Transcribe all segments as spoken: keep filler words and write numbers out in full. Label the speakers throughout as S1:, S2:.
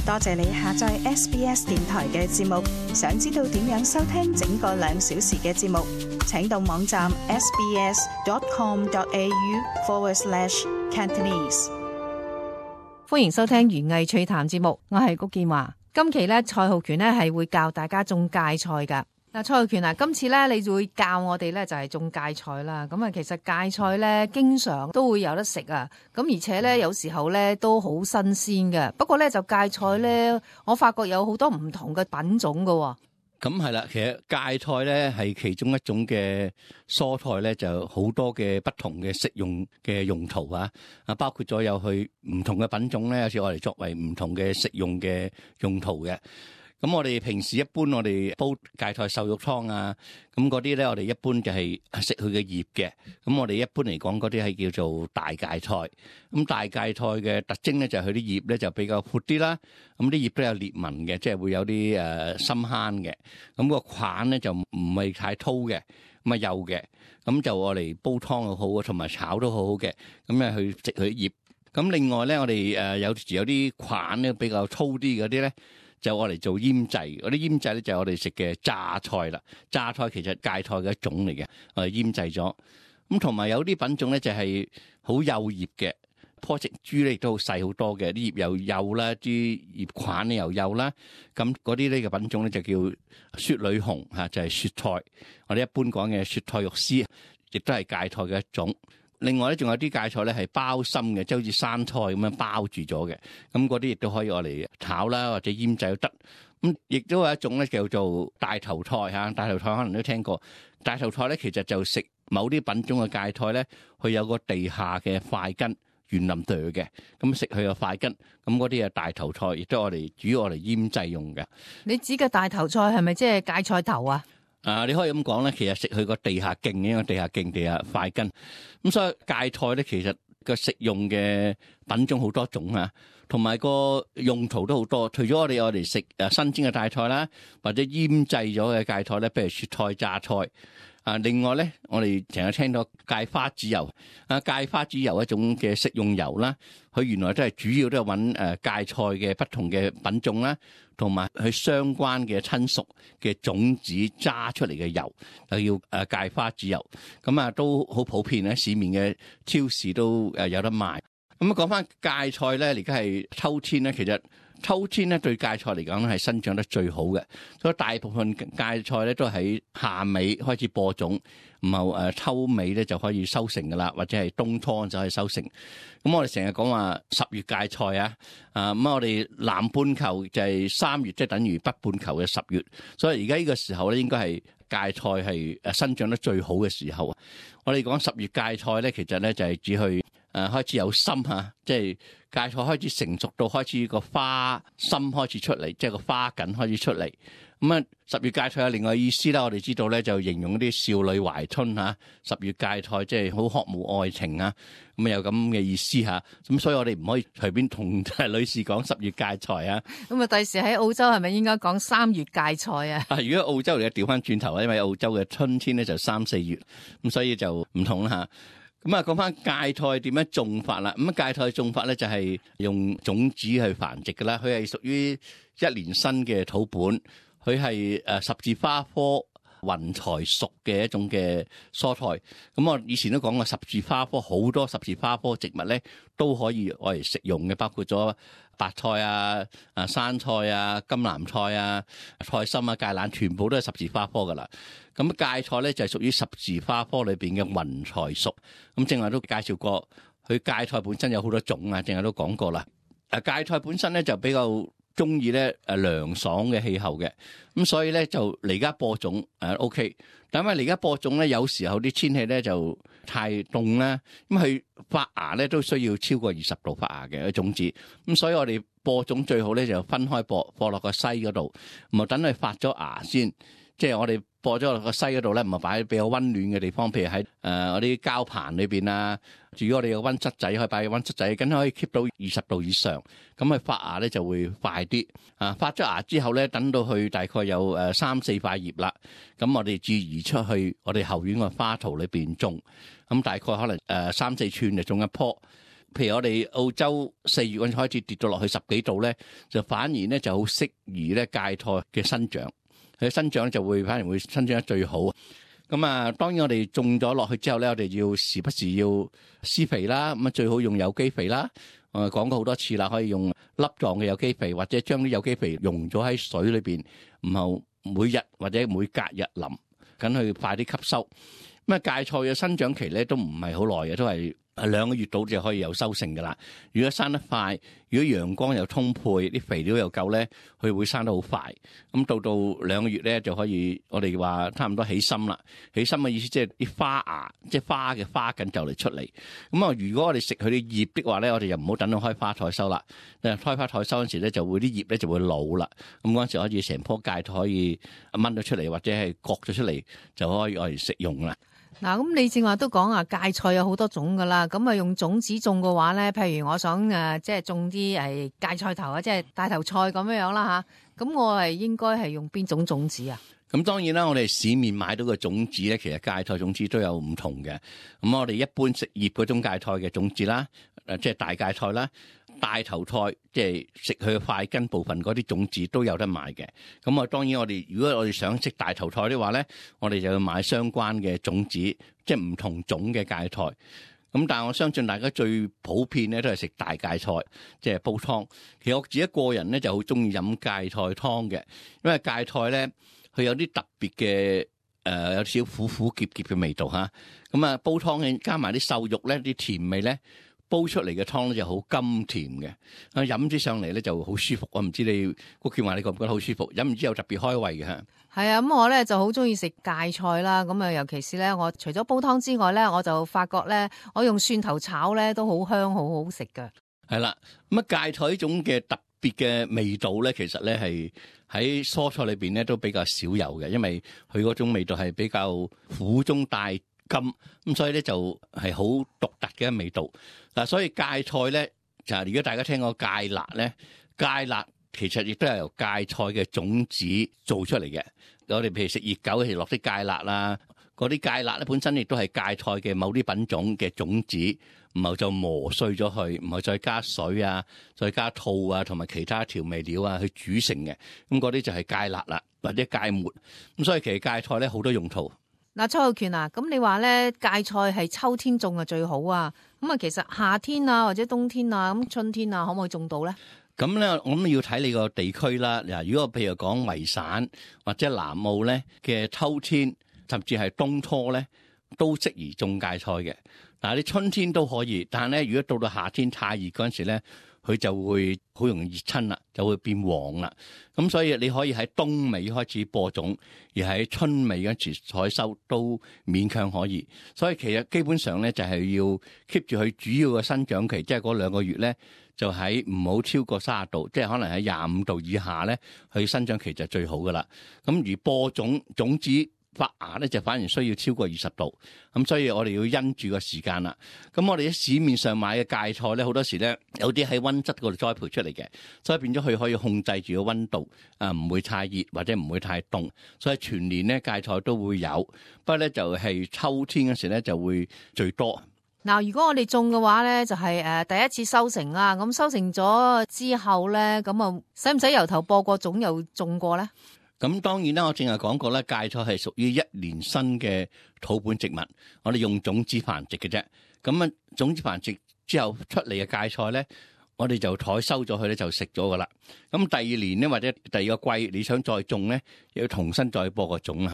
S1: 多謝你下載 S B S 電台嘅節目。想知道點樣收聽整個兩小時嘅節目，請到網站 sbs.com.au forward slash Cantonese。
S2: 歡迎收聽園藝趣談節目，我係谷建華。今期咧，蔡浩權咧係會教大家種芥菜噶。嗱，蔡浩權啊，今次咧你就會教我哋咧就係種芥菜啦。咁啊，其實芥菜咧經常都會有得食啊。咁而且咧有時候咧都好新鮮嘅。不過咧就芥菜咧，我發覺有好多唔同嘅品種噶。
S3: 咁係啦，其實芥菜咧係其中一種嘅蔬菜咧，就好多嘅不同嘅食用嘅用途啊。啊，包括咗有佢唔同嘅品種咧，有時我哋作為唔同嘅食用嘅用途嘅。咁我哋平時一般我哋煲芥菜瘦肉湯啊，咁嗰啲咧我哋一般就係食佢嘅葉嘅。咁我哋一般嚟講嗰啲係叫做大芥菜。咁大芥菜嘅特徵咧就係佢啲葉咧就比較闊啲啦。咁啲葉都有裂紋嘅，即係會有啲誒深坑嘅。咁個梗咧就唔係太粗嘅，咁啊幼嘅。咁就我哋煲湯又好，同埋炒都好好嘅。咁啊去食佢啲葉。咁另外咧我哋誒有時有啲梗咧比較粗啲嗰啲咧，就我嚟做醃製，嗰啲醃製咧就係我哋食嘅榨菜啦。榨菜其實芥菜嘅一種嚟嘅，我哋醃製咗。咁同埋有啲品種咧就係好幼葉嘅，棵植株咧亦都好細好多嘅，啲葉又幼啦，啲葉梗咧又幼啦。咁嗰啲呢個品種咧就叫雪裏紅嚇，就係雪菜。我哋一般講嘅雪菜肉絲，亦都係芥菜嘅一種。另外咧，仲有啲芥菜咧係包心嘅，即係好似生菜咁樣包住咗嘅。咁嗰啲亦都可以攞嚟炒啦，或者醃製都得。咁亦都有一種咧叫做大頭菜嚇，大頭菜可能都聽過。大頭菜咧其實就食某啲品種嘅芥菜咧，佢有個地下嘅塊根圓腍朵嘅，咁食佢個塊根。咁嗰啲係大頭菜，亦都係我哋主要我哋醃製用嘅。
S2: 你指嘅大頭菜係咪即係芥菜頭啊？
S3: 啊，你可以咁講咧，其實食佢個地下莖嘅，地下莖地下塊根。咁所以芥菜咧，其實個食用嘅品種好多種啊，同埋個用途都好多。除咗我哋我哋食誒新鮮嘅芥菜啦，或者醃製咗嘅芥菜咧，譬如雪菜、榨菜。啊，另外咧，我哋成日聽到芥花籽油。啊，芥花籽油一種嘅食用油啦，佢原來都係主要都係揾誒芥菜嘅不同嘅品種啦，同埋佢相關嘅親屬嘅種子揸出嚟嘅油，就叫誒芥花籽油。咁啊，都好普遍喺市面嘅超市都誒有得賣。咁啊，講翻芥菜咧，而家係秋天咧，其實秋天咧對芥菜嚟講係生長得最好嘅，所以大部分芥菜咧都喺夏尾開始播種，然後誒秋尾咧就可以收成噶啦，或者係冬初就可以收成。咁我哋成日講話十月芥菜啊，啊咁我哋南半球就係三月，即係等於北半球嘅十月，所以而家呢個時候咧應該係芥菜係誒生長得最好嘅時候。我哋講十月芥菜咧，其實咧就係指去誒開始有心嚇，即係芥菜開始成熟到開始個花心開始出嚟，即係個花梗開始出嚟。咁啊，十月芥菜有另外意思啦，我哋知道咧就形容啲少女懷春嚇，十月芥菜即係好渴慕愛情啊，咁啊有咁嘅意思嚇。咁所以我哋唔可以隨便同女士講十月芥菜啊。
S2: 咁啊，第時喺澳洲係咪應該講三月芥菜啊？
S3: 啊，如果澳洲嚟嘅調翻轉頭啊，因為澳洲嘅春天咧就三四月，咁所以就唔同啦嚇。咁啊，講翻芥菜點樣種法啦？咁啊，芥菜種法咧就係用種子去繁殖噶啦。佢係屬於一年生嘅土本，佢係誒十字花科雲蠹屬嘅一種嘅蔬菜。咁我以前都講過，十字花科好多十字花科植物咧都可以愛嚟食用嘅，包括咗白菜啊、啊生菜啊、甘藍菜啊、菜心啊、芥蘭，全部都係十字花科噶啦。咁芥菜咧就係屬於十字花科裏邊嘅雲蠹屬。咁正話都介紹過，佢芥菜本身有好多種啊，正話都講過啦。誒芥菜本身咧就比較中意咧誒涼爽嘅氣候嘅，咁所以咧就嚟家播種誒 O K。但係嚟家播種咧，有時候啲天氣咧就太凍啦，咁佢發芽咧都需要超過二十度發芽嘅種子。咁所以我哋播種最好咧就分開播，播落個篩嗰度，唔係等佢發咗芽先。即係我哋播咗落個篩嗰度咧，唔係擺喺比較溫暖嘅地方，譬如喺誒嗰啲膠盤裏邊啊。如果我哋有溫室仔，可以擺喺溫室仔，梗係可以 keep 到二十度以上，咁佢發芽咧就會快啲。啊，發咗芽之後咧，等到佢大概有誒三四塊葉啦，咁我哋至移出去我哋後院個花槽裏邊種。咁大概可能誒三四寸就種一棵。譬如我哋澳洲四月嗰陣開始跌到落去十幾度咧，就反而咧就好適宜咧芥菜嘅生長，佢生長就會反而會生長得最好。咁啊，當然我哋種咗落去之後咧，我哋要時不時要施肥啦，咁啊最好用有機肥啦。我講過好多次啦，可以用粒狀嘅有機肥，或者將啲有機肥溶咗喺水裏邊，然後每日或者每隔日淋，咁去快啲吸收。咁啊，芥菜嘅生長期咧都唔係好耐嘅，都係兩個月到就可以有收成噶啦。如果生得快，如果陽光又充沛，啲肥料又夠咧，佢會生得好快。咁到到兩個月咧就可以，我哋話差唔多起心啦。起心嘅意思即係啲花芽，即係花嘅花緊就嚟出嚟。咁啊，如果我哋食佢啲葉的話咧，我哋就唔好等到開花採收啦。誒，開花採收嗰時咧就會啲葉咧就會老啦。咁嗰陣時可以成棵芥菜可以掹咗出嚟，或者係割咗出嚟就可以攞嚟食用啦。
S2: 嗱，咁你正話都講啊，芥菜有好多種噶啦，咁啊用種子種嘅話咧，譬如我想誒，即係種啲誒芥菜頭啊，即係大頭菜咁樣樣啦吓，咁我係應該係用邊種種子啊？
S3: 咁當然啦，我哋市面買到嘅種子咧，其實芥菜種子都有唔同嘅。咁我哋一般食葉嗰種芥菜嘅種子啦，誒即係大芥菜啦。大頭菜即係食佢塊根部分嗰啲種子都有得買嘅。咁啊，當然我哋如果我哋想食大頭菜的話咧，我哋就要買相關嘅種子，即係唔同種嘅芥菜。咁但係我相信大家最普遍咧都係食大芥菜，即係煲湯。其實我自己個人咧就好中意飲芥菜湯嘅，因為芥菜咧佢有啲特別嘅誒，有少少苦苦澀澀嘅味道嚇。咁啊，煲湯加埋啲瘦肉咧，啲甜味咧。煲出嚟嘅湯咧就好甘甜嘅，啊飲之上嚟咧就好舒服。我唔知你谷健華你覺唔覺得好舒服？飲完之後特別開胃嘅嚇。
S2: 係啊，咁我咧就好中意食芥菜啦。咁啊，尤其是咧，我除咗煲湯之外咧，我就發覺咧，我用蒜頭炒咧都好香，好好食㗎。
S3: 係啦，咁啊芥菜呢種嘅特別嘅味道咧，其實咧係喺蔬菜裏邊咧都比較少有嘅，因為佢嗰種味道係比較苦中帶甘，咁所以咧就係好獨特嘅味道。嗱，所以芥菜咧就係如果大家聽過芥辣咧，芥辣其實亦都係由芥菜嘅種子做出嚟嘅。我哋譬如食熱狗，其實落啲芥辣啦，嗰啲芥辣咧本身亦都係芥菜嘅某啲品種嘅種子，然後就磨碎咗佢，然後再加水啊，再加醋啊，同埋其他調味料啊去煮成嘅。咁嗰啲就係芥辣啦，或者芥末。咁所以其實芥菜咧好多用途。
S2: 嗱，蔡浩權啊，咁你話咧芥菜係秋天種啊最好啊，咁啊其實夏天啊或者冬天啊咁春天啊可唔可以種到咧？
S3: 咁咧我諗要睇你個地區啦。嗱，如果譬如講維省或者南澳咧嘅秋天甚至係冬初咧都適宜種芥菜嘅。嗱，你春天都可以，但係咧如果到到夏天太熱嗰陣時咧，佢就會好容易熱親啦，就會變黃啦。咁所以你可以喺冬尾開始播種，而喺春尾嗰時採收都勉強可以。所以其實基本上咧就係要 keep 住佢主要嘅生長期，即係嗰兩個月咧，就喺唔好超過三十度，即係可能喺廿五度以下咧，佢生長期就最好噶啦。咁而播種種子發芽咧就反而需要超過二十度，咁所以我哋要因住個時間啦。咁我哋喺市面上買嘅芥菜咧，好多時咧有啲喺溫室嗰度栽培出嚟嘅，所以變咗佢可以控制住個溫度，啊唔會太熱或者唔會太凍，所以全年咧芥菜都會有。不過咧就係秋天嗰時咧就會最多。
S2: 嗱，如果我哋種嘅話咧，就係誒第一次收成啦。咁收成咗之後咧，咁啊使唔使由頭播過種又種過咧？
S3: 咁當然啦，我正係講過咧，芥菜係屬於一年生嘅土本植物，我哋用種子繁殖嘅啫。咁啊，種子繁殖之後出嚟嘅芥菜咧，我哋就採收咗佢咧，就食咗噶啦。咁第二年咧，或者第二個季，你想再種咧，要重新再播個種啦。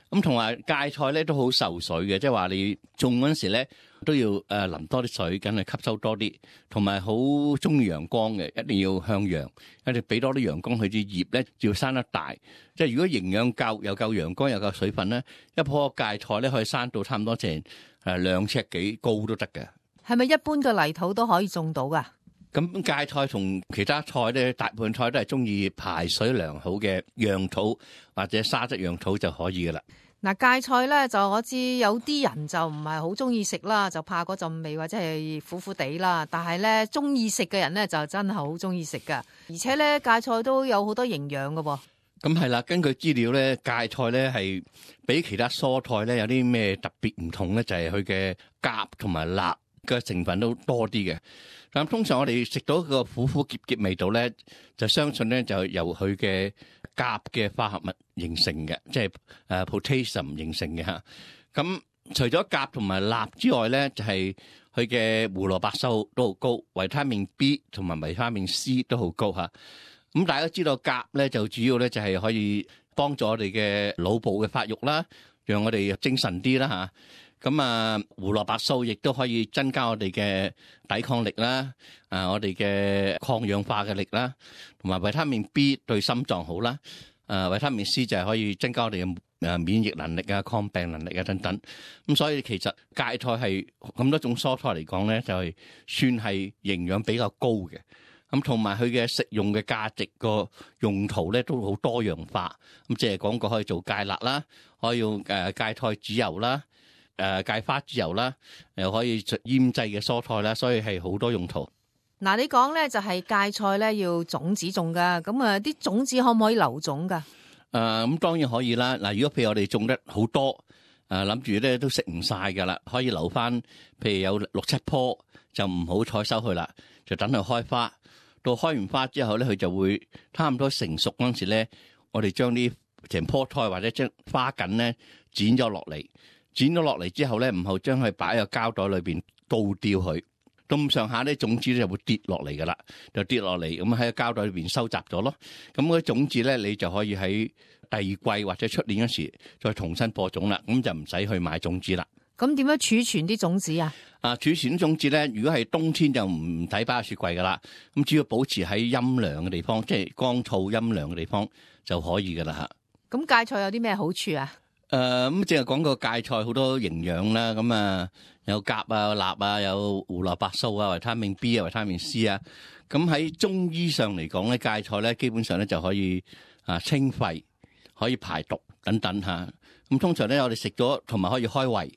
S3: 咁同埋芥菜咧都好受水嘅，即係話你種嗰陣時咧都要誒淋多啲水，梗係吸收多啲，同埋好中意陽光嘅，一定要向陽，一定俾多啲陽光，佢啲葉咧要生得大。即係如果營養夠，又夠陽光，又夠水分咧，一棵芥菜咧可以生到差唔多成誒兩尺幾高都得嘅。
S2: 係咪一般嘅泥土都可以種到噶？
S3: 咁芥菜同其他菜咧，大部分菜都係中意排水良好嘅壤土或者沙質壤土就可以噶啦。
S2: 嗱，芥菜咧就我知有啲人就唔係好中意食啦，就怕嗰陣味或者係苦苦地啦。但係咧中意食嘅人咧就真係好中意食噶，而且咧芥菜都有好多營養噶噃。
S3: 咁係啦，根據資料咧，芥菜咧係比其他蔬菜咧有啲咩特別唔同咧？就係佢嘅鉀同埋鈉嘅成分都多啲嘅。咁通常我哋食到個苦苦澀澀味道咧，就相信咧就由佢嘅鉀嘅化合物形成嘅，即係誒 potassium 形成嘅嚇。咁除咗鉀同埋鈉之外咧，就係佢嘅胡蘿蔔素都好高，維他命 B 同埋維他命 C 都好高嚇。咁大家知道鉀咧就主要咧就係可以幫助我哋嘅腦部嘅發育啦，讓我哋精神啲啦嚇。咁啊，胡蘿蔔素亦都可以增加我哋嘅抵抗力啦，啊，我哋嘅抗氧化嘅力啦，同埋維他命 B 對心臟好啦，啊，維他命 C 就係可以增加我哋嘅誒免疫能力啊、抗病能力啊等等。咁所以其實芥菜係咁多種蔬菜嚟講咧，就係算係營養比較高嘅。咁同埋佢嘅食用嘅價值個用途咧都好多樣化。咁即係講過可以做芥辣啦，可以用誒芥菜籽油啦。誒芥花籽油啦，又可以醃製嘅蔬菜啦，所以係好多用途。
S2: 嗱，你講咧就係芥菜咧要種子種噶，咁啊啲種子可唔可以留種噶？
S3: 誒咁當然可以啦。嗱，如果譬如我哋種得好多，誒諗住咧都食唔晒噶啦，可以留翻，譬如有六七棵，就唔好採收佢啦，就等佢開花。到開完花之後咧，佢就會差唔多成熟嗰陣時咧，我哋將啲成棵菜或者將花梗咧剪咗落嚟。剪咗落嚟之後咧，唔好將佢擺喺個膠袋裏邊倒掉佢，到咁上下咧種子咧就會跌落嚟噶啦，就跌落嚟咁喺個膠袋裏邊收集咗咯。咁嗰啲種子咧，你就可以喺第二季或者出年嗰時再重新播種啦。咁就唔使去買種子啦。
S2: 咁點樣儲存啲種子啊？
S3: 啊，儲存啲種子咧，如果係冬天就唔使擺喺雪櫃噶啦。咁只要保持喺陰涼嘅地方，即係乾燥陰涼嘅地方就可以噶啦嚇。
S2: 咁芥菜有啲咩好處啊？
S3: 誒咁淨係講個芥菜好多營養啦，咁啊有鉀啊、鈉啊，有胡蘿蔔素啊、維他命 B 啊、維他命 C 啊。咁喺中醫上嚟講咧，芥菜咧基本上咧就可以啊清肺、可以排毒等等嚇。咁通常咧我哋食咗同埋可以開胃，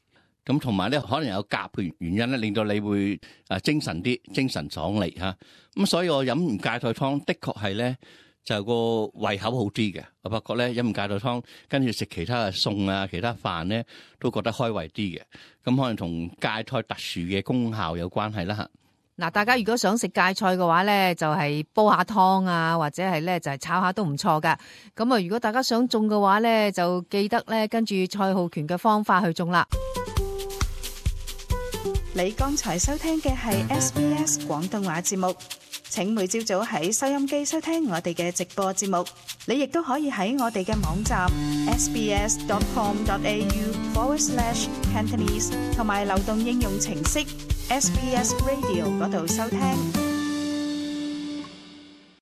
S3: 咁同埋咧可能有鉀嘅原因咧，令到你會啊精神啲、精神爽利嚇。咁所以我飲完芥菜湯，的確係咧。就個胃口好啲嘅，我發覺咧飲完芥菜湯，跟住食其他嘅餸啊、其他飯咧，都覺得開胃啲嘅。咁可能同芥菜特殊嘅功效有關係啦嚇。
S2: 嗱，大家如果想食芥菜嘅話咧，就係煲下湯啊，或者係咧就係炒下都唔錯噶。咁啊，如果大家想種嘅話咧，就記得咧跟住蔡浩權嘅方法去種啦。
S1: 你剛才收聽嘅係 S B S 廣東話節目。請每朝早喺收音機收聽我哋嘅直播節目，你亦都可以喺我哋嘅網站 sbs.com.au forward slash Cantonese 同埋流動應用程式 S B S Radio 嗰度收聽。